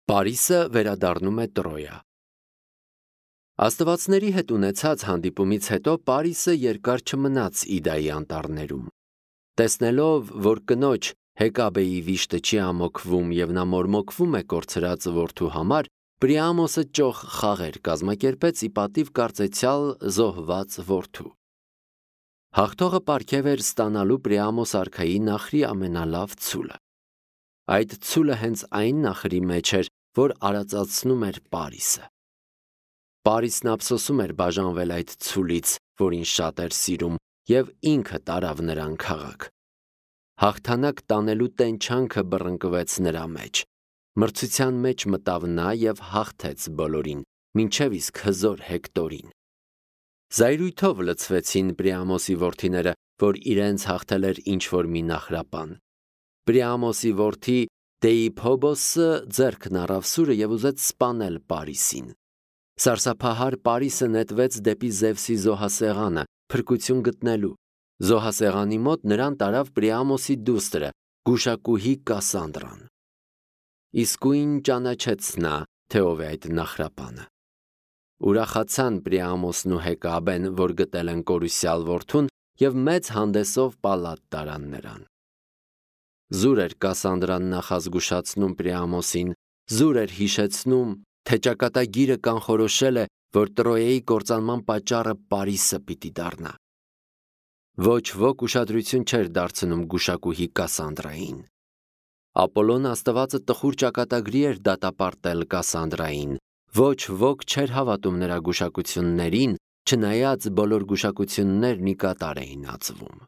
Պարիսը վերադառնում է Տրոյա։ Աստվածների հետ ունեցած հանդիպումից հետո Պարիսը երկար չմնաց Իդայի անտառներում։ Տեսնելով, որ կնոջ Հեկաբեի վիշտը չի ամոքվում և նա մորմոքվում է կորցրած որդու համար, Պրիամոսը ճոխ խաղեր կազմակերպեց ի պատիվ կարծեցյալ զոհված որդու։ Հաղթողը պարգև էր ստանալու Պրիամոս արքայի նախրի ամենալավ ցուլը։ Այդ ցուլը հենց այն նախրի մեջ էր, որ արածացնում էր Պարիսը։ Պարիսն ափսոսում էր բաժանվել այդ ցուլից, որին շատ էր սիրում, և ինքը տարավ նրան քաղաք։ Հաղթանակ տանելու տենչանքը բռնկվեց նրա մեջ։ Մրցության մեջ մտավ նա և հաղթեց բոլորին, մինչև իսկ հզոր Հեկտորին։ Զայրույթով լցվեցին Պրիամոսի որդիները, որ իրենց հաղթել էր ինչ-որ մի նախրապան։ Պրիամոսի որդի Դեիփոբոսը ձեռքն առավ սուրը և ուզեց սպանել Պարիսին։ Սարսափահար Պարիսը նետվեց դեպի Զևսի զոհասեղանը, փրկություն գտնելու։ Զոհասեղանի մոտ նրան տարավ Պրիամոսի դուստրը, գուշակուհի Կասանդրան։ Իսկույն ճանաչեց նա, թե ով է այդ նախրապանը։ Ուրախացան Պրիամոսն ու Հեկաբեն, որ գտել են կորուսյալ որդուն, և մեծ հանդեսով պալատ տարան նրան։ Զուր էր Կասանդրան նախազգուշացնում Պրիամոսին, զուր էր հիշեցնում, թե ճակատագիրը կանխորոշել է, որ Տրոյայի կործանման պատճառը Պարիսը պիտի դառնա։ Ոչ ոք ուշադրություն չէր դարձնում գուշակուհի Կասանդրային։ Ապոլոն աստվածը տխուր ճակատագրի էր դատապարտել Կասանդրային։ Ոչ ոք չէր հավատում նրա գուշակություններին, չնայած բոլոր գուշակություններն ի կատար էին ածվում։